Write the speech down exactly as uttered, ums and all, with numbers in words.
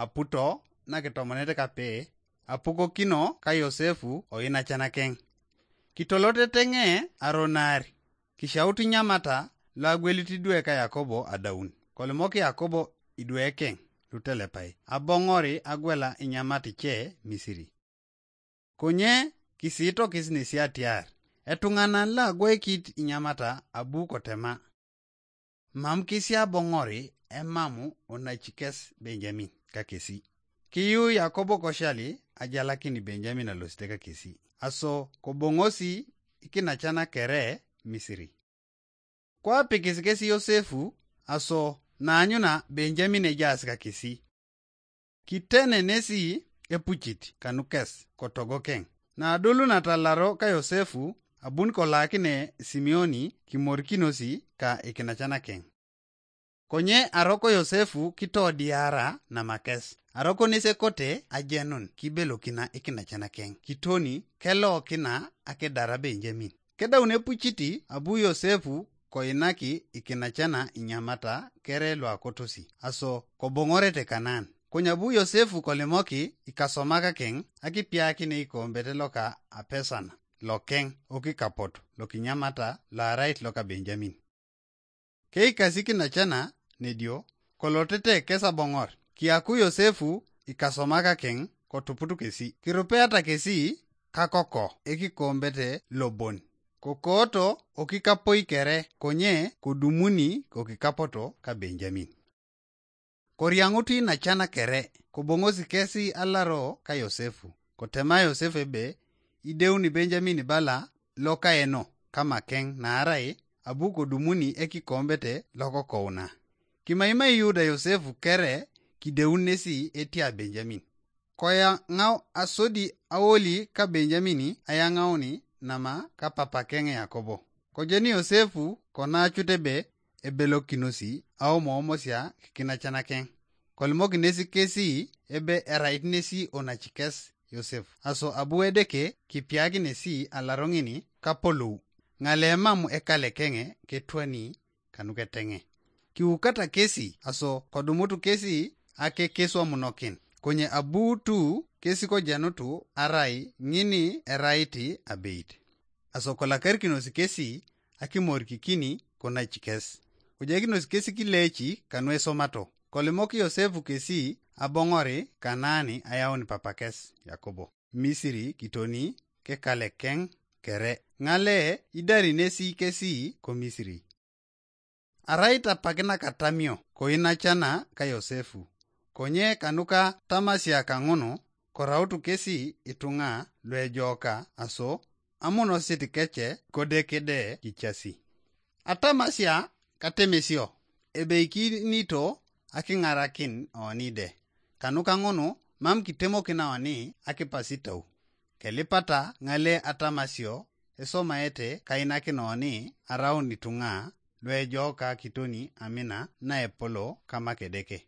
aputo nakitomonet kape, apukokino ka Yosefu oinacan akeŋ. Kitoloteteŋe aronar, kishaut inyamata lo agwelit idwe ka Yakobo adaun. Kolimok Yakobo idwe keŋ lutelepai, aboŋori agwela inyamat ice Misiri. Konye kisiitokis nesi atiar, etuŋanan lo agwoikit inyamata abu kotema, mam kesi aboŋori emamu onacikes Benjamin kakesi. Kiyu Yakobo koshali ajalakin Benjamin alosite kakesi, aso koboŋosi ikinacan kere Misiri. Kwapikis kesi Yosefu, aso naanyuna Benjamin ejaas kakesi. Kitene nesi epucit kanukes kotogokeŋ. Nadolun atalaro ka Yosefu, abun kolakine Simeoni kimorikinosi ka ikinacanakeŋ. Konye aroko Yosefu kitodiara namakes, aroko nesekote ajenun kibelokina ikinacanakeŋ kitoni kelokina akidara Benjamin. Kedaun epuciti abu Yosefu koinaki ikinacana inyamata kere luakotosi, aso koboŋorete Kanaan. Konyabu Yosefu kolimoki ikasomakakeŋ akipiakine ikombete loka apesana lokeŋ okikapot lokinyamata loarait loka Benjamin. Keikasi kinacana nedio, kolotete kes aboŋor, kiyaku Yosefu ikasomakakeŋ kotuput kesi, kirupeata kesi kakoko ekikombete lobon, kokooto okikapoi kere, konye kodumuni kokikapoto ka Benjamin. Koriaŋutu inacan kere, koboŋosi kesi alaro ka Yosefu. Kotema Yosefu ebe, ideuni Benjamin bala lokaeno kamakeŋ naarai abu kodumuni ekikombete lokokouna. Kimaimai Yuda Yosefu kere kideun nesi etia Benjamin. Koyaŋau asodi aoli ka Benjamin ayaŋauni nama ka papakeŋ Yakobo. Kojeni Yosefu konacut ebe ebelokinosi aomoomosia kikinacanakeŋ. Kolimok nesi kesi ebe erait nesi onacikes Yosef. Aso abu Edeke kipiak nesi alaro ŋini kapolou, ŋale mam ekalekeŋe ketwani kanuketeŋe. Kiukata kesi aso kodumutu kesi akekeswamunokin, konye abuutu kesi kojenutu arai ŋini erait abeit. Aso kolakarikinos kesi akimorikikini konacikes. Kojaikinos kesi kileeci kanuesomato. Kolimok Yosefu kesi aboŋori Kanaani ayaun papakes Yakobo Misiri kitoni kekalekeŋ kere, ŋale idari nesi kesi ko Misiri. Arai tapakinak atamio koinacana ka Yosefu, konye kanuka tamasia kaŋunu korautu kesi ituŋa luejooka aso amunosit kece kodekede kicasi. Atamasia katemesio ebeikinito akiŋarakin oni de, kanuka ŋunu mam kitemokin oni akipasitau. Kelipata ŋale atamasio esomaete kainakin oni araun ituŋa luejooka kitoni amina naepolo kama Kedeke.